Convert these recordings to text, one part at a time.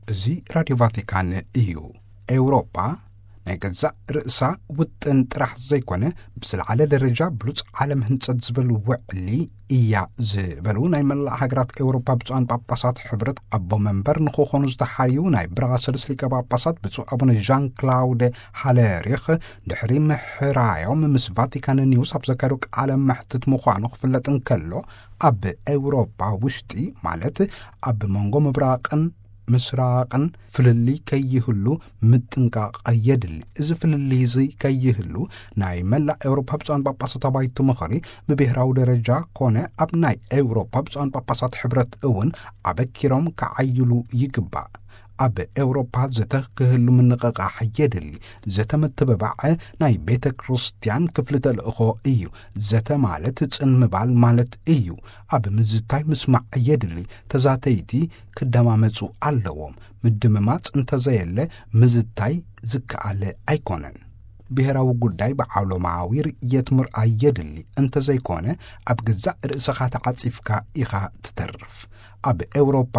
እዚ ራድዮ ቫቲካን እዩ። ኤውሮጳ ናይ ገዛእ ርእሳ ውጥን ጥራሕ ዘይኮነ፣ ብዝለዓለ ደረጃ ብሉጽ ዓለም ህንጸት ዝብል ውዕሊ እያ ዝበሉ ናይ መላእ ሃገራት ኤውሮጳ ብፁዓን ጳጳሳት ሕብረት ኣቦ መንበር ንክኾኑ ዝተሓርዩ ናይ ብራሰልስ ሊቀ ጳጳሳት ብፁዕ ኣቡነ ዣን ክላውደ ሃለሪኽ፣ ድሕሪ ምሕራዮም ምስ ቫቲካን ኒውስ ኣብ ዘካየዶ ቃለ መሕትት ምዃኑ ክፍለጥ እንከሎ፣ ኣብ ኤውሮጳ ውሽጢ፣ ማለት ኣብ መንጎ ምብራቕን ምስራቕን ፍልልይ ከይህሉ ምጥንቃቕ የድሊ። እዚ ፍልልይ እዚ ከይህሉ፣ ናይ መላእ ኤውሮፓ ብፁዓን ጳጳሳት ኣባይቲ ምኽሪ ብብሄራዊ ደረጃ ኮነ ኣብ ናይ ኤውሮፓ ብፁዓን ጳጳሳት ሕብረት እውን ኣበኪሮም ክዓይሉ ይግባእ። ኣብ ኤውሮፓ ዘተ ክህሉ ምንቕቓሕ የድሊ። ዘተ ምትብባዕ ናይ ቤተ ክርስቲያን ክፍሊ ተልእኾ እዩ። ዘተ ማለት ጽን ምባል ማለት እዩ። ኣብ ምዝታይ ምስማዕ የድሊ። ተዛተይቲ ክደማመጹ ኣለዎም። ምድምማጽ እንተዘየለ ምዝታይ ዝከኣለ ኣይኮነን። ብሄራዊ ጉዳይ ብዓለማዊ ርእየት ምርኣይ የድሊ። እንተዘይኮነ ኣብ ገዛእ ርእስኻ ተዓጺፍካ ኢኻ ትተርፍ። ኣብ ኤውሮፓ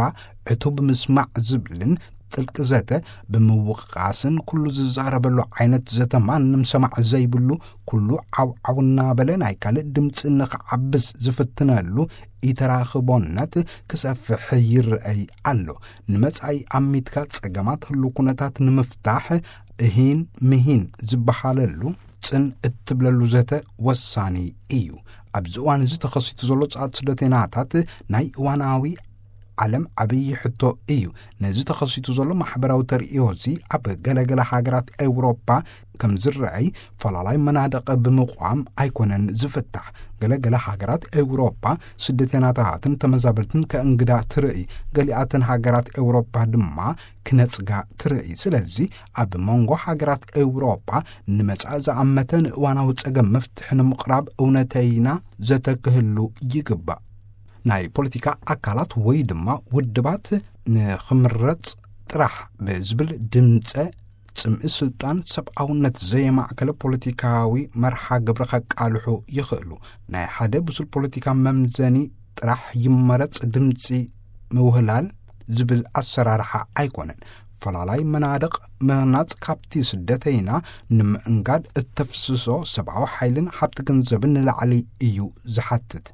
ዕቱብ ምስማዕ ዝብልን ጥልቂ ዘተ ብምውቃስን ኩሉ ዝዛረበሉ ዓይነት ዘተ ማንም ሰማዕ ዘይብሉ፣ ኩሉ ዓው ዓው እናበለ ናይ ካልእ ድምፂ ንኽዓብስ ዝፍትነሉ ኢተራኽቦነት ክሰፍሕ ይረኣይ ኣሎ። ንመጻኢ ኣሚትካ ጸገማት ህሉ ኩነታት ንምፍታሕ እሂን ምሂን ዝበሃለሉ ጽን እትብለሉ ዘተ ወሳኒ እዩ። ኣብዚ እዋን እዚ ተኸሲቱ ዘሎ ጻት ስደተይናታት ናይ እዋናዊ ዓለም ዓብዪ ሕቶ እዩ። ነዚ ተኸሲቱ ዘሎ ማሕበራዊ ተርእዮ እዚ ኣብ ገለገለ ሃገራት ኤውሮፓ ከም ዝረኣይ ፈላላይ መናድቕ ብምቋም ኣይኮነን ዝፍታሕ። ገለገለ ሃገራት ኤውሮፓ ስደተይናታትን ተመዛበልትን ከእንግዳ ትርእይ። ገሊኣተን ሃገራት ኤውሮፓ ድማ ክነጽጋ ትርእይ። ስለዚ ኣብ መንጎ ሃገራት ኤውሮፓ ንመጻኢ ዝኣመተ ንእዋናዊ ጸገም መፍትሒ ንምቕራብ እውነተይና ዘተ ክህሉ ይግባእ። ናይ ፖለቲካ ኣካላት ወይ ድማ ውድባት ንኽምረጽ ጥራሕ ብዝብል ድምጸ ጽምኢ ስልጣን ሰብኣውነት ዘየማእከለ ፖለቲካዊ መርሓ ግብሪ ከቃልሑ ይኽእሉ። ናይ ሓደ ብሱል ፖለቲካ መምዘኒ ጥራሕ ይመረጽ ድምጺ ምውህላል ዝብል ኣሰራርሓ ኣይኮነን። ፈላላይ መናድቕ ምህናጽ ካብቲ ስደተይና ንምእንጋድ እተፍስሶ ሰብኣዊ ሓይልን ሃብቲ ገንዘብን ንላዕሊ እዩ ዝሓትት።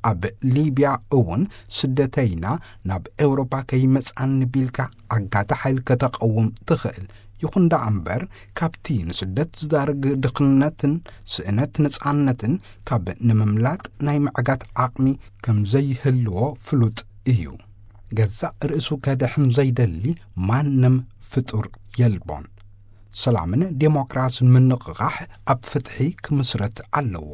ኣብ ሊብያ እውን ስደተይና ናብ ኤውሮፓ ከይመጽኣኒ ቢልካ ዓጋቲ ሓይል ከተቐውም ትኽእል። ይኹን ደኣ እምበር፣ ካብቲ ንስደት ዝዳርግ ድኽነትን ስእነት ነጻነትን ካብ ንምምላጥ ናይ ምዕጋት ዓቕሚ ከም ዘይህልዎ ፍሉጥ እዩ። ገዛእ ርእሱ ከድሕን ዘይደሊ ማንም ፍጡር የልቦን። ሰላምን ዴሞክራስን ምንቕቓሕ ኣብ ፍትሒ ክምስረት ኣለዎ።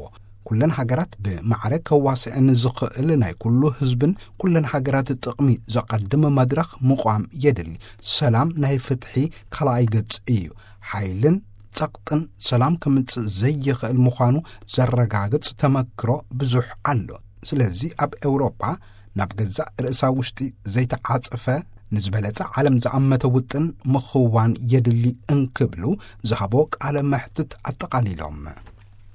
ኩለን ሃገራት ብማዕረ ከዋስአን ዝኽእል ናይ ኩሉ ህዝብን ኩለን ሃገራት ጥቕሚ ዘቐድም መድረኽ ምቋም የድሊ። ሰላም ናይ ፍትሒ ካልኣይ ገጽ እዩ። ሓይልን ጸቕጥን ሰላም ከምጽእ ዘይኽእል ምዃኑ ዘረጋግጽ ተመክሮ ብዙሕ ኣሎ። ስለዚ ኣብ ኤውሮጳ ናብ ገዛእ ርእሳ ውሽጢ ዘይተዓጸፈ ንዝበለጸ ዓለም ዝኣመተ ውጥን ምኽዋን የድሊ እንክብሉ ዝሃቦ ቃለ መሕትት ኣጠቓሊሎም።